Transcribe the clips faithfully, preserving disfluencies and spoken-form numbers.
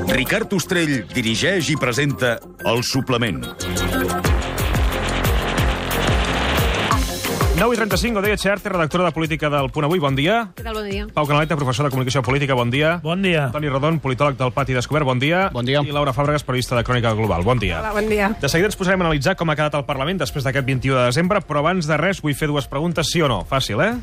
Ricard Ostrell dirigeix i presenta El Suplement. nou i trenta-cinc, Odeia Xerte, redactora de política del Punt Avui, bon dia. Què tal, bon dia. Pau Canaleta, professor de comunicació política, bon dia. Bon dia. Toni Rodon, politòleg del Pati Descobert, bon dia. Bon dia. I Laura Fàbregas, periodista de Crònica Global, bon dia. Hola, bon dia. De seguida ens posarem a analitzar com ha quedat el Parlament després d'aquest vint-i-u de desembre, però abans de res vull fer dues preguntes, sí o no. Fàcil, eh?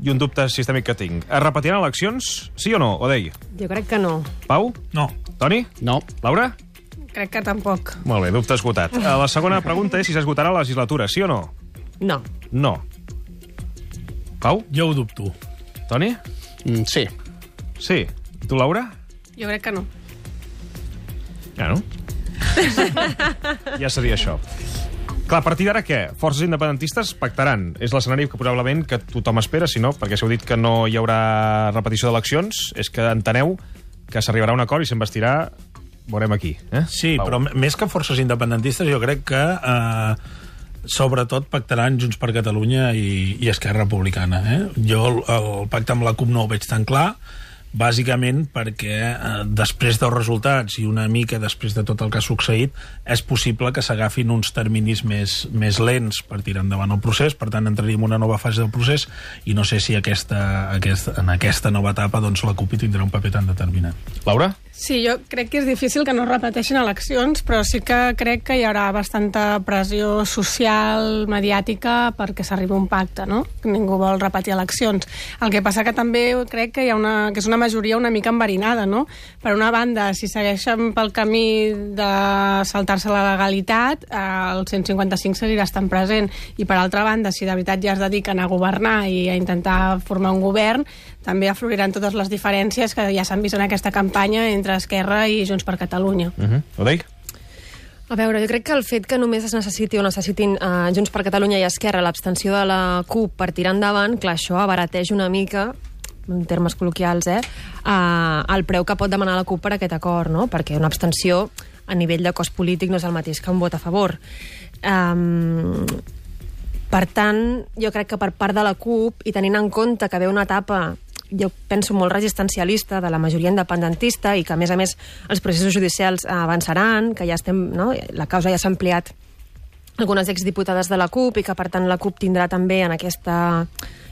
I un dubte sistèmic que tinc. Es repetiran eleccions? Sí o no, Odei? Jo crec que no. Pau? No. Toni? No. Laura? Crec que tampoc. Molt bé, dubte esgotat. La segona pregunta és si s'esgotarà la legislatura, sí o no? No. No. Pau? Jo ho dubto. Toni? Mm, sí. Sí. Tu, Laura? Jo crec que no. Ja, no? Ja seria això. Clar, a partir d'ara què? Forces independentistes pactaran. És l'escenari que probablement que tothom espera, si no, perquè si heu dit que no hi haurà repetició d'eleccions, és que enteneu que s'arribarà a un acord i s'investirà, veurem aquí. Eh? Sí, Pau. però més que forces independentistes, jo crec que eh, sobretot pactaran Junts per Catalunya i, i Esquerra Republicana. Eh? Jo el, el pacte amb la CUP no ho veig tan clar, bàsicament perquè eh, després dels resultats i una mica després de tot el que ha succeït, és possible que s'agafin uns terminis més, més lents per tirar endavant el procés, per tant entraríem en una nova fase del procés i no sé si aquesta, aquesta, en aquesta nova etapa doncs, la CUP hi tindrà un paper tan determinant. Laura? Sí, jo crec que és difícil que no es repeteixin eleccions, però sí que crec que hi haurà bastanta pressió social, mediàtica, perquè s'arribi a un pacte, no? Ningú vol repetir eleccions. El que passa que també crec que hi ha una, que és una majoria una mica enverinada, no? Per una banda, si segueixen pel camí de saltar-se la legalitat, eh, el cent cinquanta-cinc seguirà estant present, i per altra banda, si de veritat ja es dediquen a governar i a intentar formar un govern, també afloriran totes les diferències que ja s'han vist en aquesta campanya entre Esquerra i Junts per Catalunya. Uh -huh. Odei? A veure, jo crec que el fet que només es necessiti o necessitin uh, Junts per Catalunya i Esquerra l'abstenció de la CUP per tirar endavant, clar, això abarateix una mica, en termes col·loquials, eh, uh, el preu que pot demanar la CUP per aquest acord, no? Perquè una abstenció a nivell de cost polític no és el mateix que un vot a favor. Um, per tant, jo crec que per part de la CUP, i tenint en compte que ve una etapa jo penso molt resistencialista de la majoria independentista i que a més a més els processos judicials avançaran, que ja estem, no? La causa ja s'ha ampliat algunes exdiputades de la CUP i que per tant la CUP tindrà també en aquesta,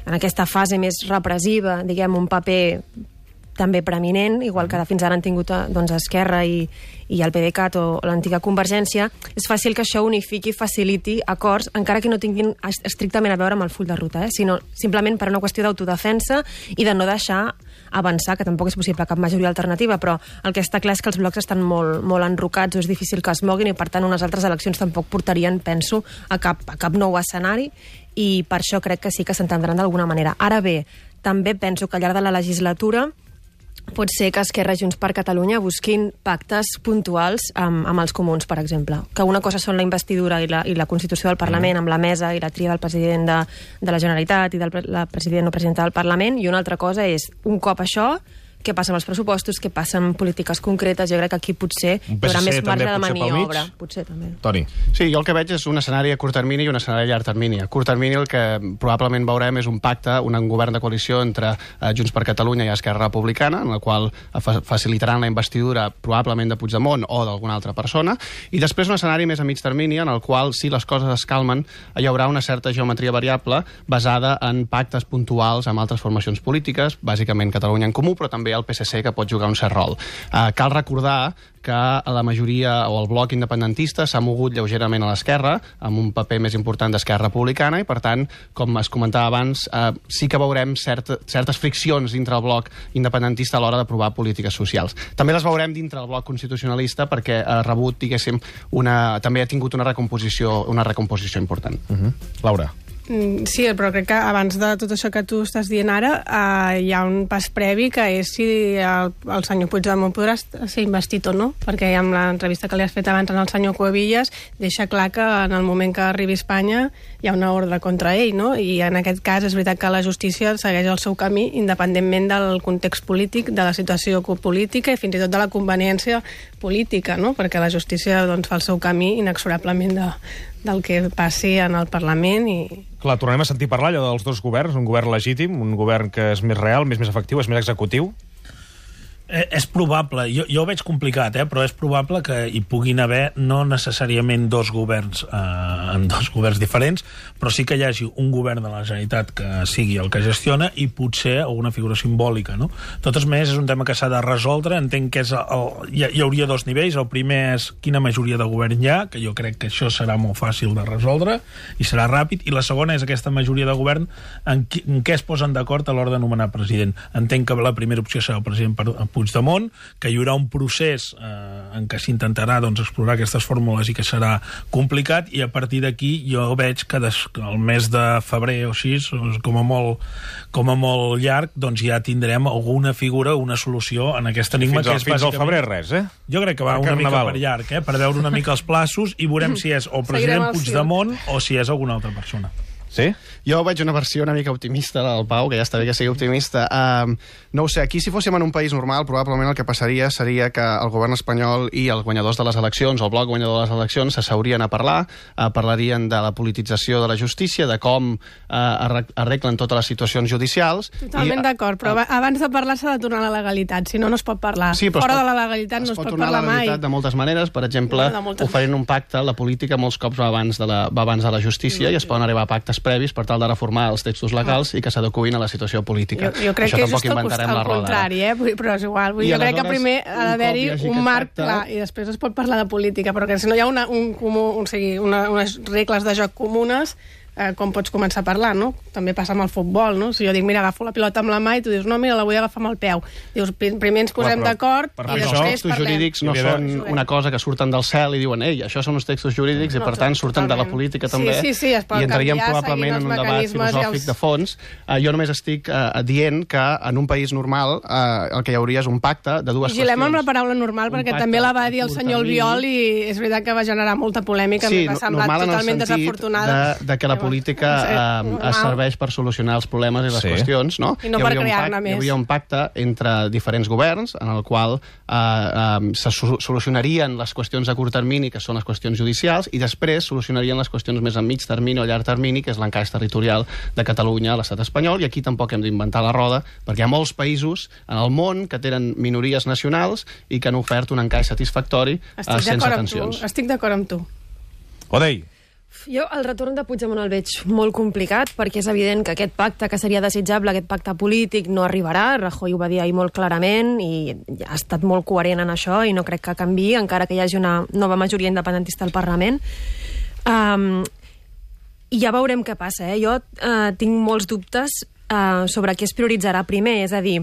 en aquesta fase més repressiva, diguem, un paper també preeminent, igual que fins ara han tingut doncs, Esquerra i, i el PDeCAT o l'antiga Convergència. És fàcil que això unifiqui i faciliti acords, encara que no tinguin estrictament a veure amb el full de ruta, eh? Sinó simplement per una qüestió d'autodefensa i de no deixar avançar, que tampoc és possible cap majoria alternativa, però el que està clar és que els blocs estan molt, molt enrocats, o és difícil que es moguin, i per tant unes altres eleccions tampoc portarien, penso, a cap, a cap nou escenari, i per això crec que sí que s'entendran d'alguna manera. Ara bé, també penso que al llarg de la legislatura pot ser que Esquerra i Junts per Catalunya busquin pactes puntuals amb, amb els comuns, per exemple. Que una cosa són la investidura i la, i la constitució del Parlament, amb la mesa i la tria del president de, de la Generalitat i del la president o presidenta del Parlament, i una altra cosa és, un cop això, què passa amb els pressupostos, què passa amb polítiques concretes. Jo crec que aquí potser hi haurà més marge de maniobra. Potser també. Toni. Sí, jo el que veig és un escenari a curt termini i un escenari a llarg termini. A curt termini el que probablement veurem és un pacte, un govern de coalició entre eh, Junts per Catalunya i Esquerra Republicana, en el qual fa facilitaran la investidura probablement de Puigdemont o d'alguna altra persona, i després un escenari més a mig termini en el qual, si les coses es calmen, hi haurà una certa geometria variable basada en pactes puntuals amb altres formacions polítiques, bàsicament Catalunya en Comú, però també el P S C, que pot jugar un cert rol. Uh, cal recordar que la majoria o el bloc independentista s'ha mogut lleugerament a l'esquerra, amb un paper més important d'Esquerra Republicana, i per tant, com es comentava abans, uh, sí que veurem cert, certes friccions dintre el bloc independentista a l'hora d'aprovar polítiques socials. També les veurem dintre el bloc constitucionalista perquè ha rebut, diguéssim, una, també ha tingut una recomposició, una recomposició important. Uh-huh. Laura. Sí, però crec que abans de tot això que tu estàs dient ara eh, hi ha un pas previ, que és si el, el senyor Puigdemont podrà ser investit o no, perquè amb l'entrevista que li has fet abans al senyor Cuevillas deixa clar que en el moment que arribi a Espanya hi ha una ordre contra ell, no? I en aquest cas és veritat que la justícia segueix el seu camí independentment del context polític, de la situació política i fins i tot de la conveniència política, no? Perquè la justícia doncs, fa el seu camí inexorablement de, del que passi en el Parlament i... Clar, tornem a sentir parlar allò dels dos governs, un govern legítim, un govern que és més real, més més efectiu, és més executiu. Eh, és probable, jo, jo ho veig complicat, eh, però és probable que hi puguin haver no necessàriament dos governs eh, en dos governs diferents, però sí que hi hagi un govern de la Generalitat que sigui el que gestiona i potser alguna figura simbòlica, no? De totes maneres, és un tema que s'ha de resoldre. Entenc que és el, hi, hi hauria dos nivells. El primer és quina majoria de govern hi ha, que jo crec que això serà molt fàcil de resoldre i serà ràpid, i la segona és aquesta majoria de govern en, qui, en què es posen d'acord a l'hora de nomenar president. Entenc que la primera opció serà el president per Puigdemont, que hi haurà un procés eh, en què s'intentarà doncs, explorar aquestes fórmules i que serà complicat, i a partir d'aquí jo veig que des, el mes de febrer o així, com a molt, com a molt llarg, doncs ja tindrem alguna figura, una solució en aquest enigma. Fins, que al, és fins bàsicament... al febrer res, eh? Jo crec que va per una Carnaval. mica per llarg, eh? Per veure una mica els plaços i veurem si és o el president Puigdemont o si és alguna altra persona. Sí? Jo veig una versió una mica optimista del Pau, que ja està bé que sigui optimista. Uh, no ho sé, aquí si fóssim en un país normal, probablement el que passaria seria que el govern espanyol i els guanyadors de les eleccions, o el bloc guanyador de les eleccions, s'asseurien a parlar, uh, parlarien de la politització de la justícia, de com uh, arreglen totes les situacions judicials... Totalment d'acord, però uh, abans de parlar s'ha de tornar a la legalitat, si no, no es pot parlar. Sí, Fora pot, de la legalitat no es pot, pot parlar mai. Es pot tornar a la legalitat de moltes maneres, per exemple, moltes oferint un pacte, la política molts cops va abans de la, va abans de la justícia, mm. i es poden arribar a pactes previs per tal de reformar els textos legals i que s'adecuïn a la situació política. Jo, jo crec Això que és tampoc just inventarem al la roda. contrari, eh? Però és igual. Vull, jo crec que primer ha d'haver-hi un, un marc pacte... clar i després es pot parlar de política, però que si no hi ha una, un comú, un, sigui, una, unes regles de joc comunes, eh, com pots començar a parlar, no? També passa amb el futbol, no? Si jo dic, mira, agafo la pilota amb la mà i tu dius, no, mira, la vull agafar amb el peu. Dius, primer ens posem d'acord i després parlem. Els textos jurídics no són una cosa que surten del cel i diuen, ei, això són uns textos jurídics i per tant surten de la política també, sí, sí, sí, i entraríem probablement en un debat filosòfic els... de fons. Uh, jo només estic uh, dient que en un país normal uh, el que hi hauria és un pacte de dues Vigilem qüestions. amb la paraula normal, perquè també la va dir el senyor Albiol i és veritat que va generar molta polèmica, sí, m'ha semblat totalment desafortunada. De, de que la política uh, es serveix per solucionar els problemes i les sí. qüestions, no? I no per crear-ne més. Hi hauria un pacte entre diferents governs en el qual uh, um, se solucionarien les qüestions a curt termini, que són les qüestions judicials, i després solucionarien les qüestions més a mig termini o llarg termini, que és l'encaix territorial de Catalunya a l'estat espanyol, i aquí tampoc hem d'inventar la roda, perquè hi ha molts països en el món que tenen minories nacionals i que han ofert un encaix satisfactori uh, sense tensions. Estic d'acord amb tu. Odei. Jo el retorn de Puigdemont el veig molt complicat, perquè és evident que aquest pacte que seria desitjable, aquest pacte polític, no arribarà. Rajoy ho va dir ahir molt clarament i ha estat molt coherent en això i no crec que canviï, encara que hi hagi una nova majoria independentista al Parlament. Um, I ja veurem què passa. Eh? Jo uh, tinc molts dubtes uh, sobre què es prioritzarà primer, és a dir,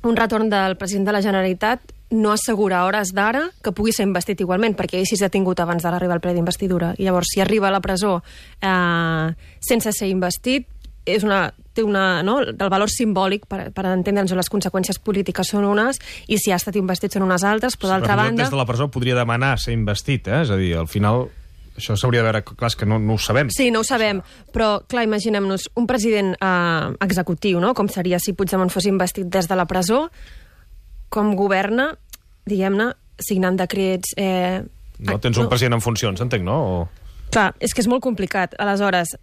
un retorn del president de la Generalitat no assegura a hores d'ara que pugui ser investit igualment, perquè ell sí s'ha tingut abans d'arribar al ple d'investidura. I llavors, si arriba a la presó eh, sense ser investit, és una, té una, no? el valor simbòlic per, per entendre'ns les conseqüències polítiques són unes i si ha estat investit són unes altres, però d'altra sí, banda... Des de la presó podria demanar ser investit, eh? És a dir, al final... Això s'hauria de veure, clar, és que no, no ho sabem. Sí, no ho sabem, però, clar, imaginem-nos un president eh, executiu, no? Com seria si Puigdemont fos investit des de la presó, com governa, diguem-ne, signant decrets... Eh, no, tens un no. president en funcions, entenc, no? O... Clar, és que és molt complicat. Aleshores,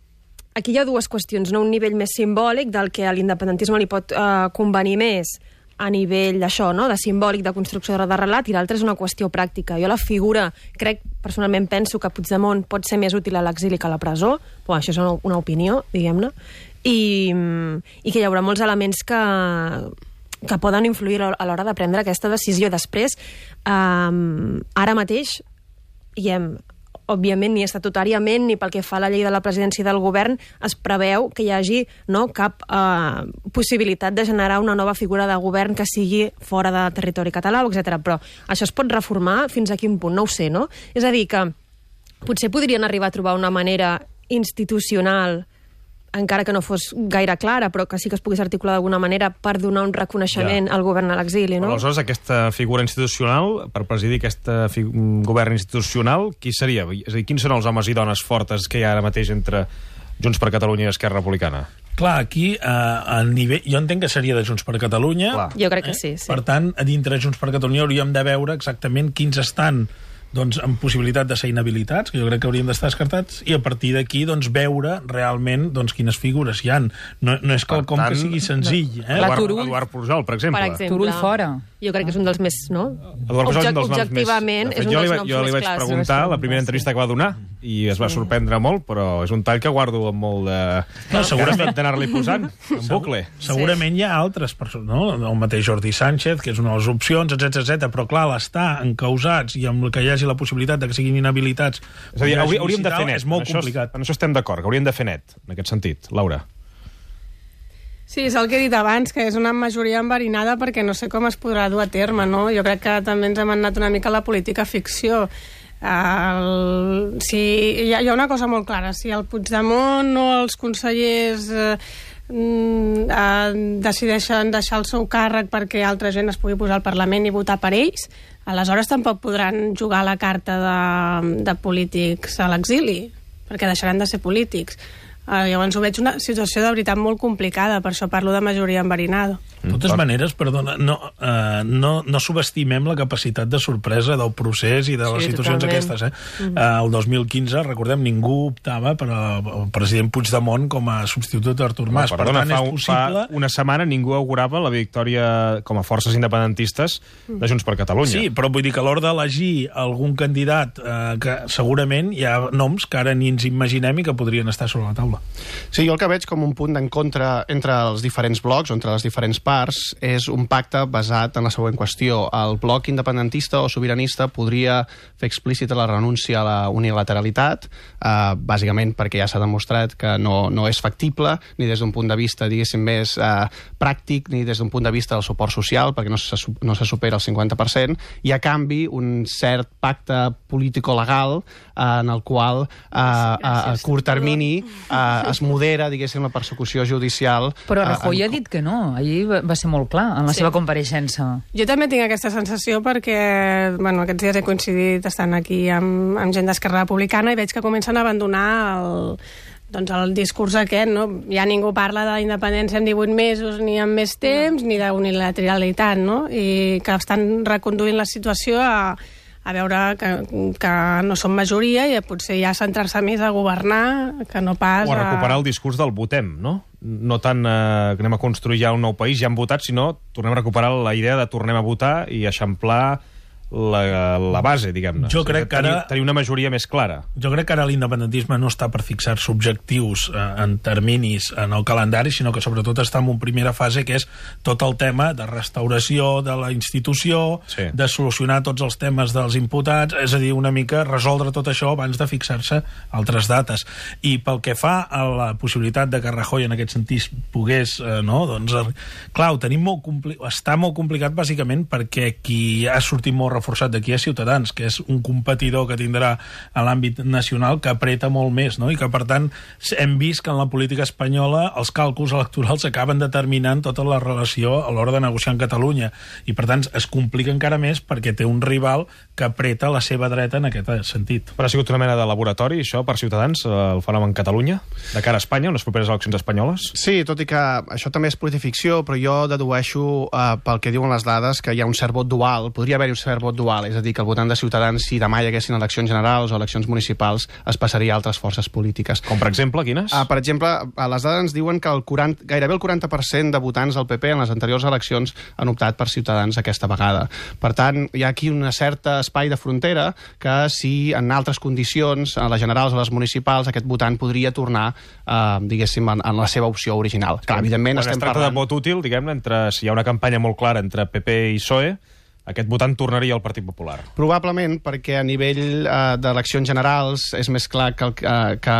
aquí hi ha dues qüestions, no? Un nivell més simbòlic del que a l'independentisme li pot eh, convenir més a nivell d'això, no? De simbòlic, de construcció de relat, i l'altra és una qüestió pràctica. Jo la figura, crec, personalment penso que Puigdemont pot ser més útil a l'exili que a la presó, però això és una, una opinió, diguem-ne, i, i que hi haurà molts elements que, que poden influir a l'hora de prendre aquesta decisió. Després, eh, ara mateix, diguem, òbviament, ni estatutàriament ni pel que fa a la llei de la presidència del govern es preveu que hi hagi no, cap eh, possibilitat de generar una nova figura de govern que sigui fora de territori català, etcètera. Però això es pot reformar fins a quin punt? No ho sé, no? És a dir, que potser podrien arribar a trobar una manera institucional, encara que no fos gaire clara, però que sí que es pogués articular d'alguna manera per donar un reconeixement ja. al govern a l'exili, no? Però aleshores, aquesta figura institucional, per presidir aquest govern institucional, qui seria? És a dir, quins són els homes i dones fortes que hi ha ara mateix entre Junts per Catalunya i Esquerra Republicana? Clar, aquí, eh, a nivell... jo entenc que seria de Junts per Catalunya. Clar. Jo crec que sí, sí. Per tant, a dintre de Junts per Catalunya hauríem de veure exactament quins estan doncs, amb possibilitat de ser inhabilitats, que jo crec que haurien d'estar descartats, i a partir d'aquí doncs, veure realment doncs, quines figures hi han. No, no és quelcom que sigui senzill. Eh? Eduard, Turull. Eduard Pujol, per exemple. Per exemple. Turull fora. Jo crec que és un dels més, no? Eduard Pujol és un dels noms Objectivament, més... és De fet, un jo dels li, noms jo li més vaig clàssics. preguntar la primera entrevista que va donar i es va sorprendre molt, però és un tall que guardo amb molt de... No, segurament d'anar-li posant, en bucle. Segurament hi ha altres persones, no? El mateix Jordi Sánchez, que és una de les opcions, etcètera etcètera, però clar, l'estar encausats i amb que hi hagi la possibilitat de que siguin inhabilitats... És a dir, haurí, hauríem de fer net. És molt en complicat. Això, en això estem d'acord, que hauríem de fer net, en aquest sentit. Laura. Sí, és el que he dit abans, que és una majoria enverinada perquè no sé com es podrà dur a terme, no? Jo crec que també ens hem anat una mica a la política ficció. El, si, hi, ha, hi ha una cosa molt clara, si el Puigdemont o els consellers eh, eh, decideixen deixar el seu càrrec perquè altra gent es pugui posar al Parlament i votar per ells, aleshores tampoc podran jugar la carta de, de polítics a l'exili, perquè deixaran de ser polítics. Uh, llavors ho veig una situació de veritat molt complicada, per això parlo de majoria enverinada. De totes maneres, perdona, no, uh, no, no subestimem la capacitat de sorpresa del procés i de les Sí, situacions totalment. aquestes. Eh? Mm. Uh, el dos mil quinze, recordem, ningú optava per al president Puigdemont com a substitut d'Artur Mas. No, perdona, per tant, fa, és possible... fa una setmana ningú augurava la victòria com a forces independentistes de Junts per Catalunya. Sí, però vull dir que a l'hora d'elegir algun candidat eh, que segurament hi ha noms que ara ni ens imaginem i que podrien estar sobre la taula. Sí, jo el que veig com un punt d'encontre entre els diferents blocs, o entre les diferents parts, és un pacte basat en la següent qüestió. El bloc independentista o sobiranista podria fer explícita la renúncia a la unilateralitat, eh, bàsicament perquè ja s'ha demostrat que no, no és factible, ni des d'un punt de vista, diguéssim, més eh, pràctic, ni des d'un punt de vista del suport social, perquè no se, no se supera el cinquanta per cent, i a canvi un cert pacte político-legal eh, en el qual eh, a, a curt termini eh, es modera, diguéssim, la persecució judicial. Però Rajoy eh, ha dit que no. Ahir va, va ser molt clar en la Sí. seva compareixença. Jo també tinc aquesta sensació perquè bueno, aquests dies he coincidit estant aquí amb, amb gent d'Esquerra Republicana i veig que comencen a abandonar el, doncs el discurs aquest, no? Ja ningú parla de la independència en divuit mesos, ni en més temps, no. ni d'unilateralitat, no? I que estan reconduint la situació a, a veure que, que no són majoria i potser ja centrar-se més a governar que no pas O a recuperar a... el discurs del votem, no? No tant eh, que anem a construir ja un nou país, ja hem votat, sinó tornem a recuperar la idea de tornem a votar i eixamplar la, la base, diguem-ne. Jo crec que ara... Tenir, tenir una majoria més clara. Jo crec que ara l'independentisme no està per fixar-se objectius eh, en terminis en el calendari, sinó que sobretot està en una primera fase que és tot el tema de restauració de la institució, Sí. de solucionar tots els temes dels imputats, és a dir, una mica resoldre tot això abans de fixar-se altres dates. I pel que fa a la possibilitat de que Rajoy en aquest sentit pogués, eh, no, doncs, eh, clar, ho tenim molt compli... està molt complicat bàsicament perquè qui ha sortit molt reforçat d'aquí a Ciutadans, que és un competidor que tindrà a l'àmbit nacional que apreta molt més, no? I que, per tant, hem vist que en la política espanyola els càlculs electorals acaben determinant tota la relació a l'hora de negociar en Catalunya. I, per tant, es complica encara més perquè té un rival que apreta la seva dreta en aquest sentit. Però ha sigut una mena de laboratori, això, per Ciutadans, el fenomen Catalunya, de cara a Espanya, unes properes eleccions espanyoles? Sí, tot i que això també és politificció, però jo dedueixo eh, pel que diuen les dades que hi ha un cert vot dual, podria haver-hi un cert vot dual, és a dir, que el votant de Ciutadans, si demà hi haguessin eleccions generals o eleccions municipals, es passaria a altres forces polítiques. Com, per exemple, quines? Uh, per exemple, uh, les dades ens diuen que el quaranta, gairebé el quaranta per cent de votants del P P en les anteriors eleccions han optat per Ciutadans aquesta vegada. Per tant, hi ha aquí un cert espai de frontera que si en altres condicions, a les generals o les municipals, aquest votant podria tornar, uh, diguéssim, en, en la seva opció original. Clar, evidentment Quan estem es tracta parlant... de vot útil, diguem-ne, entre, si hi ha una campanya molt clara entre P P i P S O E, aquest votant tornaria al Partit Popular. Probablement perquè a nivell eh, d'eleccions generals és més clar que, el, eh, que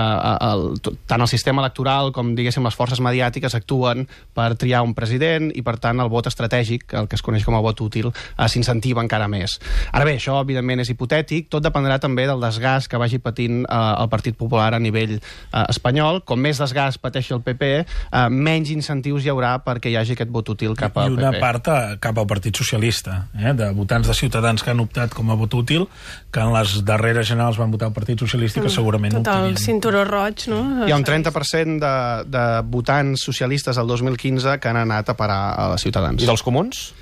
el, tant el sistema electoral com, diguéssim, les forces mediàtiques actuen per triar un president i, per tant, el vot estratègic, el que es coneix com a vot útil, eh, s'incentiva encara més. Ara bé, això, evidentment, és hipotètic. Tot dependrà també del desgast que vagi patint eh, el Partit Popular a nivell eh, espanyol. Com més desgast pateixi el P P, eh, menys incentius hi haurà perquè hi hagi aquest vot útil cap al I una P P. part a, cap al Partit Socialista, eh? de votants de Ciutadans que han optat com a vot útil, que en les darreres generals van votar el Partit Socialista, que segurament Tot el optarien. cinturó roig, no? Hi ha un trenta per cent de, de votants socialistes del dos mil quinze que han anat a parar a Ciutadans. I dels comuns?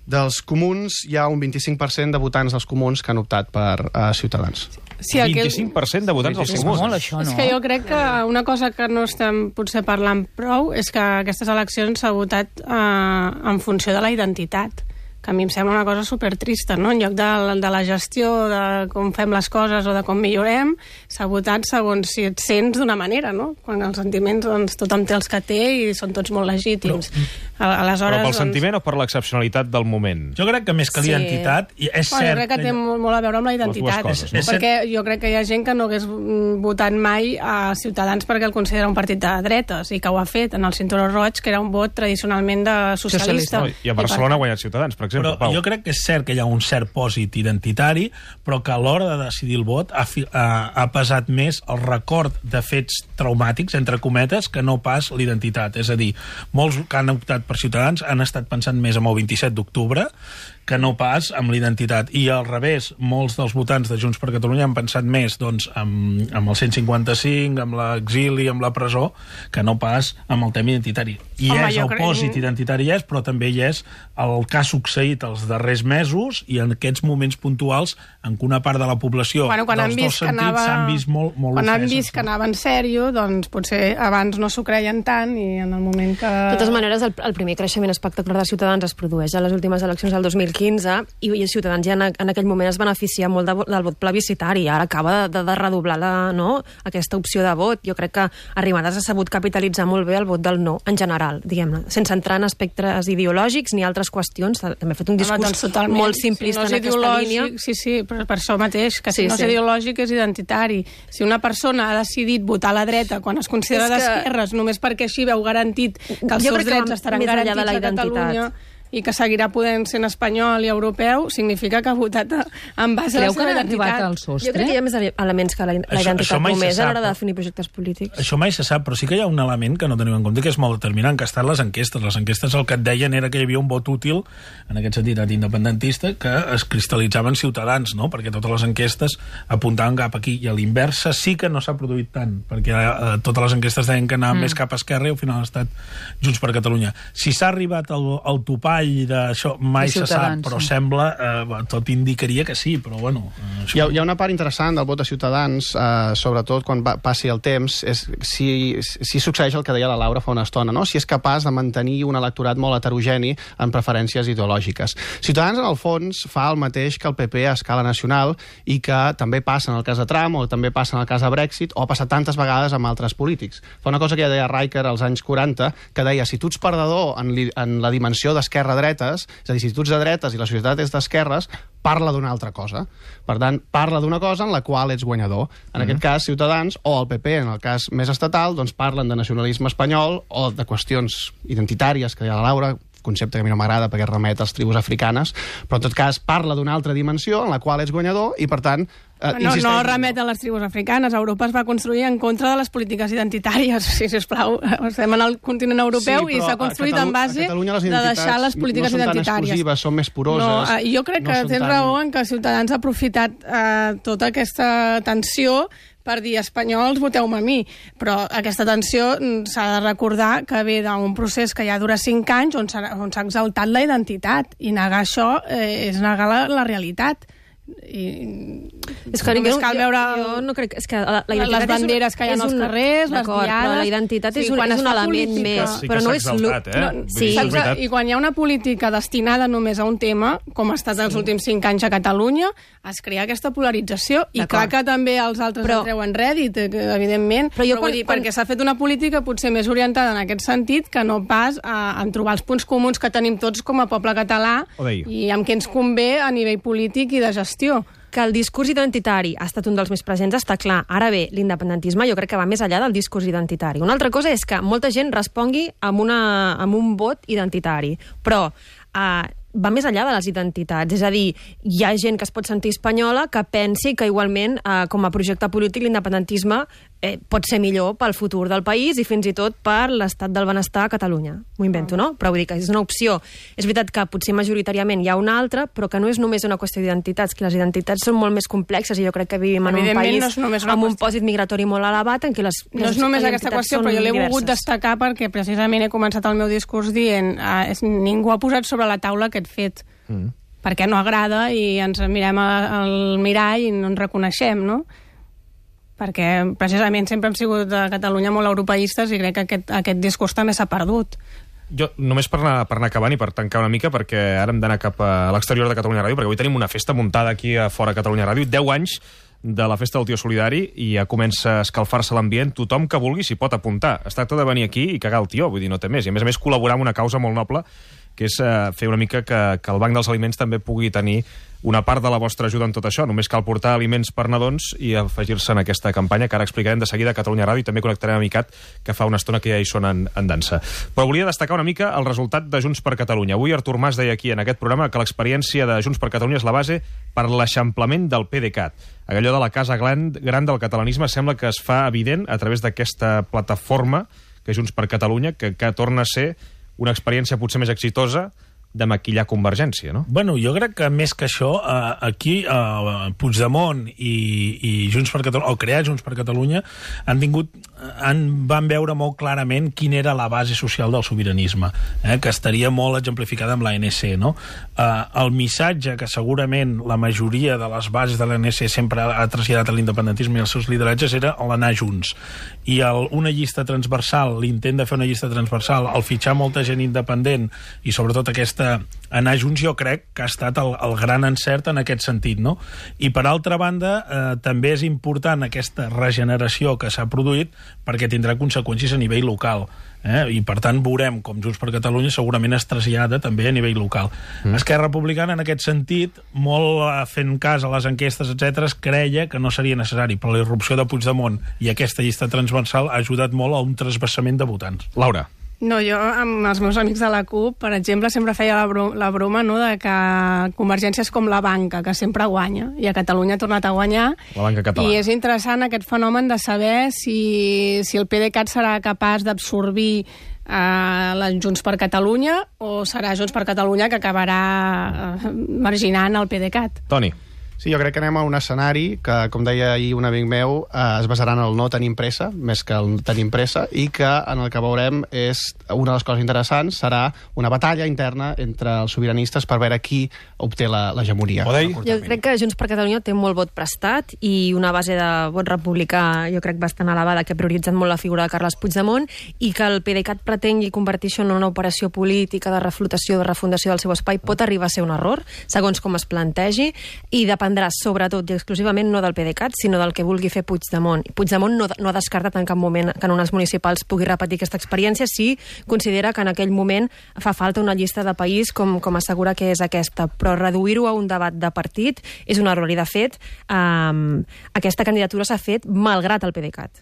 dels comuns hi ha un vint-i-cinc per cent de votants dels comuns que han optat per uh, Ciutadans. Sí, aquell... vint-i-cinc per cent de votants dels És comuns. molt, això, no? És que jo crec que una cosa que no estem potser parlant prou és que aquestes eleccions s'ha votat eh, en funció de la identitat, que a mi em sembla una cosa supertrista, no? En lloc de, de la gestió, de com fem les coses o de com millorem, s'ha votat segons si et sents d'una manera, no? Quan els sentiments, doncs, tothom té els que té i són tots molt legítims. Però, Aleshores, però pel doncs... sentiment o per l'excepcionalitat del moment? Jo crec que més que Sí. l'identitat, i és Bueno, cert... jo crec que té molt, molt a veure amb la identitat, dues coses, no? perquè jo crec que hi ha gent que no hagués mm, votat mai a Ciutadans perquè el considera un partit de dretes i que ho ha fet en el Cinturó Roig, que era un vot tradicionalment de socialista. No, I a Barcelona ha guanyat Ciutadans, per exemple, Però Pau. jo crec que és cert que hi ha un cert pòsit identitari, però que a l'hora de decidir el vot ha, fi, ha, ha pesat més el record de fets traumàtics, entre cometes, que no pas l'identitat. És a dir, molts que han optat per Ciutadans han estat pensant més en el vint-i-set d'octubre que no pas amb l'identitat. I al revés, molts dels votants de Junts per Catalunya han pensat més doncs, amb, amb el cent cinquanta-cinc, amb l'exili, amb la presó, que no pas amb el tema identitari. I Home, és jo el crec- pòsit identitari, és, però també hi és el que ha succeït els darrers mesos i en aquests moments puntuals en què una part de la població Bueno, quan han dels dos vist que sentits anava... s'han vist molt, molt quan han ofeses, vist que no? anava en sèrio, doncs potser abans no s'ho creien tant i en el moment que... De totes maneres, el, el primer creixement espectacular de Ciutadans es produeix a les últimes eleccions del dos mil quinze i, i Ciutadans ja en, en aquell moment es beneficia molt de, del vot plebiscitari i ara acaba de, de redoblar la, no, aquesta opció de vot. Jo crec que Arrimadas ha sabut capitalitzar molt bé el vot del no, en general, diguem-ne, sense entrar en aspectes ideològics ni altres qüestions. També ha fet un discurs Home, doncs totalment. molt simplista si no en aquesta ideològic, línia. Sí, sí, però per això mateix, que si Sí, no és sí. ideològic és identitari. Si una persona ha decidit votar a la dreta quan es considera És que- d'esquerres només perquè així veu garantit que els Jo seus crec que drets va estaran més enllà de garantits la a identitat. Catalunya i que seguirà podent ser en espanyol i europeu, significa que ha votat a- en base a la Creu que seva han arribat identitat. al Jo crec sostre? que hi ha més elements que la, la Això- identitat això mai se només a l'hora sap, de no? definir projectes polítics. Això mai se sap, però sí que hi ha un element que no tenim en compte, que és molt determinant, que ha estat les enquestes. Les enquestes el que et deien era que hi havia un vot útil, en aquest sentit independentista, que es cristal·litzaven Ciutadans, no? Perquè totes les enquestes apuntaven cap aquí. I a l'inversa sí que no s'ha produït tant, perquè eh, totes les enquestes deien que anaven mm. més cap a esquerra i al final ha estat Junts per Catalunya. Si s'ha arribat al, al topall d'això, mai se sap, però sembla, eh, tot indicaria que sí, però bueno... Eh, Hi ha, hi ha una part interessant del vot de Ciutadans, eh, sobretot quan va, passi el temps, és si, si succeeix el que deia la Laura fa una estona, no? Si és capaç de mantenir un electorat molt heterogeni en preferències ideològiques. Ciutadans, en el fons, fa el mateix que el P P a escala nacional i que també passa en el cas de Trump o també passa en el cas de Brexit o ha passat tantes vegades amb altres polítics. Fa una cosa que ja deia Riker als anys quaranta, que deia, si tu ets perdedor en, li, en la dimensió d'esquerra-dretes, és a dir, si tu ets de dretes i la societat és d'esquerres, parla d'una altra cosa. Per tant, parla d'una cosa en la qual ets guanyador. En mm. aquest cas, Ciutadans, o el P P, en el cas més estatal, doncs parlen de nacionalisme espanyol o de qüestions identitàries, que deia la Laura, concepte que a mi no m'agrada perquè remet als tribus africanes, però en tot cas parla d'una altra dimensió en la qual ets guanyador i, per tant, eh, No, insisteix... no remet a les tribus africanes. Europa es va construir en contra de les polítiques identitàries. Sí, sisplau, estem en el continent europeu Sí, i però s'ha construït a en Catalu- base a Catalunya les de identitats deixar les polítiques no són tan identitàries. exclusives, són més poroses. No, eh, jo crec no que són tens tan- raó en que Ciutadans ha aprofitat eh, tota aquesta tensió per dir espanyols, voteu-me a mi. Però aquesta tensió mm, s'ha de recordar que ve d'un procés que ja dura cinc anys on s'ha on s'ha exaltat la identitat i negar això eh, és negar la, la realitat. I És que només jo, cal jo, veure jo no crec... És que la, la identitat les banderes que hi ha és als un- carrers, les d'acord, diades... però la identitat Sí, és un, quan és es un fa element política- més, Sí que però s'ha no és... exaltat, eh? No, Vull sí, dir, és Saps? veritat. I quan hi ha una política destinada només a un tema, com ha estat els últims cinc anys a Catalunya, es crea aquesta polarització i D'acord. clar que també els altres Però- en treuen rèdit, eh, que, evidentment, Però jo però vull quan- dir, quan- perquè s'ha fet una política potser més orientada en aquest sentit que no pas a, en trobar els punts comuns que tenim tots com a poble català Ho deia. i amb què ens convé a nivell polític i de gestió. que el discurs identitari ha estat un dels més presents està clar. Ara bé, l'independentisme jo crec que va més enllà del discurs identitari. Una altra cosa és que molta gent respongui amb, una, amb un vot identitari, però eh, va més enllà de les identitats. És a dir, hi ha gent que es pot sentir espanyola que pensi que igualment, eh, com a projecte polític, l'independentisme eh, pot ser millor pel futur del país i fins i tot per l'estat del benestar a Catalunya. M'ho invento, no? Però vull dir que és una opció. És veritat que potser majoritàriament hi ha una altra, però que no és només una qüestió d'identitats, que les identitats són molt més complexes i jo crec que vivim en un Evidentment, país no és només una amb un qüestió. pòsit migratori molt elevat en què les, No les és només aquesta identitats qüestió, són però jo l'he volgut diverses. destacar perquè precisament he començat el meu discurs dient eh, és, ningú ha posat sobre la taula aquest fet. Mm. Perquè no agrada i ens mirem al mirall i no ens reconeixem, no? Perquè precisament sempre hem sigut a Catalunya molt europeistes i crec que aquest, aquest discurs també s'ha perdut. Jo, només per anar, per anar acabant i per tancar una mica, perquè ara hem d'anar cap a l'exterior de Catalunya Ràdio, perquè avui tenim una festa muntada aquí a fora Catalunya Ràdio, deu anys de la festa del tio solidari, i ja comença a escalfar-se l'ambient. Tothom que vulgui s'hi pot apuntar. Es tracta de venir aquí i cagar el tió, vull dir, no té més. I a més a més col·laborar amb una causa molt noble, que és eh, fer una mica que, que el Banc dels Aliments també pugui tenir una part de la vostra ajuda en tot això. Només cal portar aliments per nadons i afegir-se en aquesta campanya, que ara explicarem de seguida a Catalunya Ràdio, i també connectarem amb ICAT, que fa una estona que ja hi són en, en dansa. Però volia destacar una mica el resultat de Junts per Catalunya. Avui Artur Mas deia aquí en aquest programa que l'experiència de Junts per Catalunya és la base per l'eixamplament del PDeCAT. Allò de la casa gran, gran del catalanisme sembla que es fa evident a través d'aquesta plataforma que és Junts per Catalunya, que, que torna a ser una experiència potser més exitosa de maquillar Convergència, no? Bueno, jo crec que més que això, eh, aquí eh, Puigdemont i, i Junts per Catalunya, o crear Junts per Catalunya, han tingut, han, van veure molt clarament quina era la base social del sobiranisme, eh, que estaria molt exemplificada amb l'A N C, no? Eh, el missatge que segurament la majoria de les bases de l'A N C sempre ha traslladat a l'independentisme i als seus lideratges era l'anar junts. I el, una llista transversal, l'intent de fer una llista transversal, el fitxar molta gent independent i sobretot aquesta anar junts, jo crec que ha estat el, el gran encert en aquest sentit, no? I per altra banda, eh, també és important aquesta regeneració que s'ha produït perquè tindrà conseqüències a nivell local, eh? I per tant veurem com Junts per Catalunya segurament es trasllada també a nivell local. Mm. Esquerra Republicana, en aquest sentit, molt eh, fent cas a les enquestes, etcètera, creia que no seria necessari, però la irrupció de Puigdemont i aquesta llista transversal ha ajudat molt a un trasbassament de votants. Laura. No, jo amb els meus amics de la CUP, per exemple, sempre feia la, bro la broma, no?, de que Convergència és com la banca, que sempre guanya, i a Catalunya ha tornat a guanyar. La banca catalana. I és interessant aquest fenomen de saber si, si el PDeCAT serà capaç d'absorbir eh, la Junts per Catalunya o serà Junts per Catalunya que acabarà eh, marginant el PDeCAT. Toni. Sí, jo crec que anem a un escenari que, com deia ahir un amic meu, eh, es basarà en el no tenim pressa, més que el tenim pressa, i que en el que veurem és, una de les coses interessants serà una batalla interna entre els sobiranistes per veure qui obté l'hegemonia. Jo crec que Junts per Catalunya té molt vot prestat i una base de vot republicà, jo crec, bastant elevada, que ha prioritzat molt la figura de Carles Puigdemont, i que el PDeCAT pretengui convertir això en una operació política de reflotació, de refundació del seu espai, pot arribar a ser un error, segons com es plantegi, i depèn dependrà sobretot i exclusivament no del PDeCAT, sinó del que vulgui fer Puigdemont. Puigdemont no, no ha descartat en cap moment que en unes municipals pugui repetir aquesta experiència si considera que en aquell moment fa falta una llista de país com, com assegura que és aquesta. Però reduir-ho a un debat de partit és un error i, de fet, eh, aquesta candidatura s'ha fet malgrat el PDeCAT.